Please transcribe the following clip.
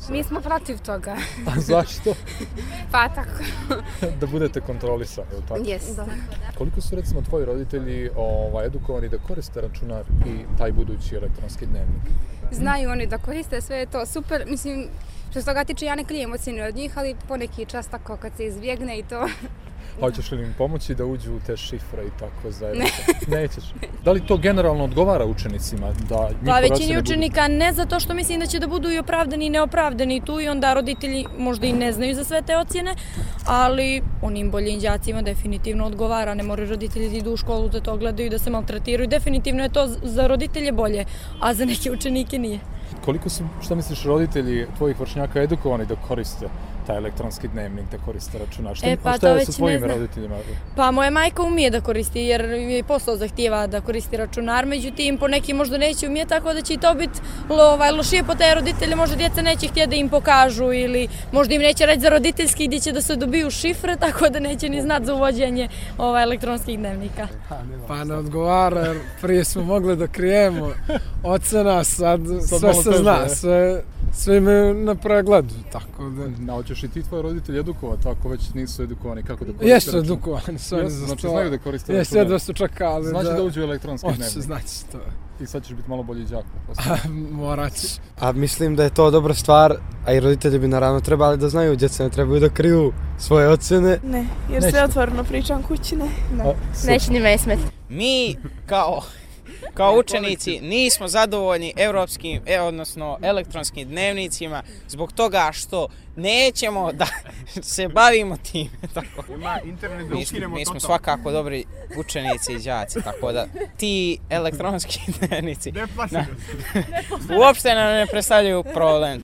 Mi smo protiv toga. A zašto? Pa tako. Da budete kontrolisani, ili tako? Yes. Koliko su recimo tvoji roditelji edukovani da koriste računar i taj budući elektronski dnevnik? Znaju oni da koriste, sve je to super. Mislim, što se toga tiče, ja ne klijem ocjene od njih, ali poneki čas tako kad se izbjegne i to. Hoćeš li im pomoći da uđu u te šifre i tako zajedno? Nećeš. Da li to generalno odgovara učenicima? Pa većini učenika ne, zato što mislim da će da budu i opravdani i neopravdani tu i onda roditelji možda i ne znaju za sve te ocjene, ali onim boljim đacima definitivno odgovara. Ne moraju roditelji da idu u školu da to gledaju, da se maltretiraju. Definitivno je to za roditelje bolje, a za neke učenike nije. Koliko su, šta misliš, roditelji tvojih vršnjaka edukovani da koriste taj elektronski dnevnik, da koriste računar? Šta je sa tvojim roditeljima? Pa moja majka umije da koristi jer je posao zahtijeva da koristi računar, međutim poneki možda neće umije, tako da će i to biti lošije po te roditelje, možda djeca neće htjeti da im pokažu ili možda im neće reći za roditeljski gdje će da se dobiju šifre, tako da neće ni znati za uvođenje elektronskih dnevnika. Pa ne odgovara jer prije smo mogli da krijemo ocena, sad sve se zna, sve imaju na pregledu, tako da... Hoćeš i ti tvoji roditelji edukovati ako već nisu edukovani kako da koriste računar? Jesu edukovani, su oni za to. Znači znaju da koriste računar? Jesu, jedva su čekali da... Znači da uđu u elektronski dnevnik? Hoće, znači to. I sad ćeš biti malo bolji đak. Morat ćeš. A mislim da je to dobra stvar, a i roditelji bi naravno trebali da znaju, djeca ne trebaju da kriju svoje ocjene. Ne, jer sve otvoreno pričam kući, ne. Neće ni me smet. Mi kao učenici nismo zadovoljni evropskim, odnosno elektronskim dnevnicima zbog toga što nećemo da se bavimo time. Mi smo svakako dobri učenici i đaci, tako da ti elektronski dnevnici uopšte nam ne predstavljaju problem.